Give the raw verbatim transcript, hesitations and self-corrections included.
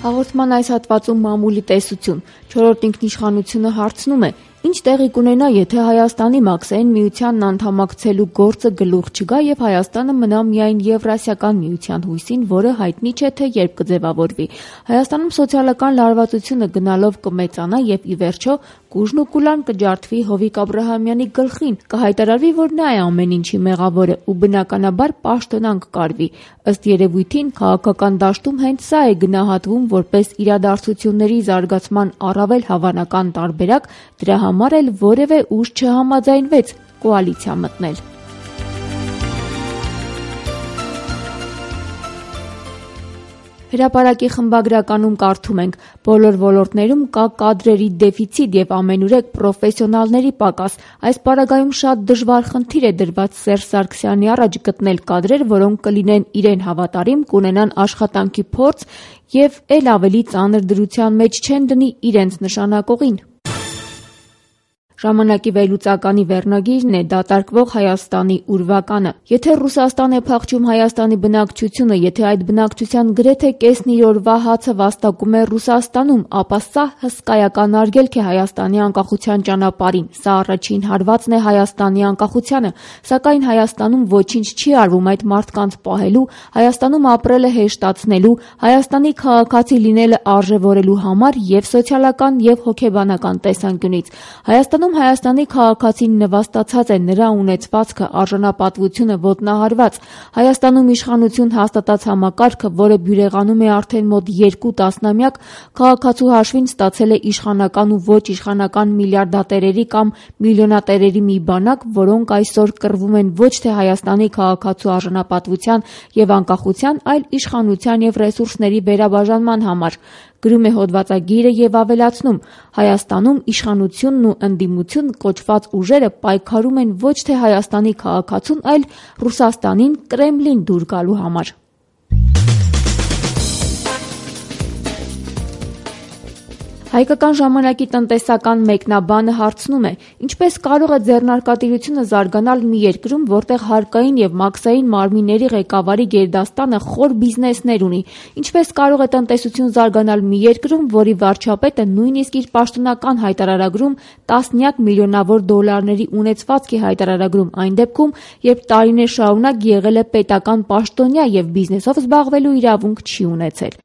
Հաղորդման այս հատվածում մամուլի տեսություն։ Չորրորդ ինքնիշխանությունը հարցնում է. ինչ տեղի կունենա, եթե Հայաստանի Մաքսային միությանն անդամակցելու գործը գլուխ չգա եւ Հայաստանը մնա միայն Եվրասիական միության հույսին, որը հայտնի չէ թե երբ կձևավորվի։ Հայաստանում սոցիալական լարվածությունը գնալով կմեծանա եւ ի վերջո կուժն ու կուլան կջարդվի Հովիկ Աբրահամյանի գլխին, կհայտարարվի, որ նա է ամեն ինչի մեղավորը ու բնականաբար պաշտոնան կկարվի։ Ըստ երևույթին քաղաքական դաշտում հենց սա է գնահատվում որպես իրադարձությունների զարգացման առավել հավանական տարբերակ, դրա համար էլ որևէ ուժ չհամաձայնվեց կոալիցիա մտնել։ Հրապարակի խմբագրականում կարդում ենք. բոլոր ոլորտներում կա կադրերի դեֆիցիտ եւ ամենուրեք պրոֆեսիոնալների պակաս։ Այս պարագայում շատ դժվար խնդիր է դրված Սերժ Սարգսյանի առաջ գտնել կադրեր, որոնք կլինեն իրեն հավատարիմ, կունենան աշխատանքի փորձ եւ էլ ավելի ծանր դրության մեջ չեն դնի իրենց նշանակողին։ Ժամանակի վերլուծականի վերնագիրն է դատարկվող Հայաստանի ուրվականը։ Եթե Ռուսաստան է փախչում Հայաստանի բնակչությունը, եթե այդ բնակչության գրեթե կեսն իր օրվա հացը վաստակում է Ռուսաստանում, ապա սա հսկայական արգելք է Հայաստանի անկախության ճանապարհին։ Սա առաջին հարվածն է Հայաստանի անկախությանը, սակայն Հայաստանում ոչինչ չի արվում այդ մարդկանց պահելու, Հայաստանում ապրելը հեշտացնելու, Հայաստանի քաղաքացի լինելը արժևորելու համար եւ սոցիալական եւ հոգեբանական տեսանկյունից։ Հայաստանում Հայաստանի քաղաքացին նվաստացած է, նրա ունեցվածքը, արժանապատվությունը ոտնահարված։ Հայաստանում իշխանություն հաստատած համակարգը, որը բյուրեղանում է արդեն մոտ երկու տասնամյակ, քաղաքացու հաշվին ստացել է իշխանական ու ոչ իշխանական միլիարդատերերի կամ միլիոնատերերի մի բանակ, որոնք այսօր կռվում են ոչ թե Հայաստանի քաղաքացու արժանապատվության եւ անկախության, այլ իշխանության եւ ռեսուրսների վերաբաժանման համար։ Գրում է հոդվածագիրը եւ ավելացնում. Հայաստանում իշխանությունն ու ընդդիմություն կոչված ուժերը պայքարում են ոչ թե Հայաստանի քաղաքացուն, այլ Ռուսաստանին, Կրեմլին դուր գալու համար։ Հայկական ժամանակի տնտեսական մեկնաբանը հարցնում է. ինչպես կարող է ձեռնարկատիրությունը զարգանալ մի երկրում, որտեղ հարկային եւ մաքսային մարմինների ղեկավարի գերդաստանը խոր բիզնեսներ ունի, ինչպես կարող է տնտեսություն զարգանալ մի երկրում, որի վարչապետը նույնիսկ իր պաշտոնական հայտարարագրում տասնյակ միլիոնավոր դոլարների ունեցվածք է հայտարարագրում այն դեպքում, երբ տարիներ շարունակ եղել է պետական պաշտոնյա եւ բիզնեսով զբաղվելու իրավունք չի ունեցել։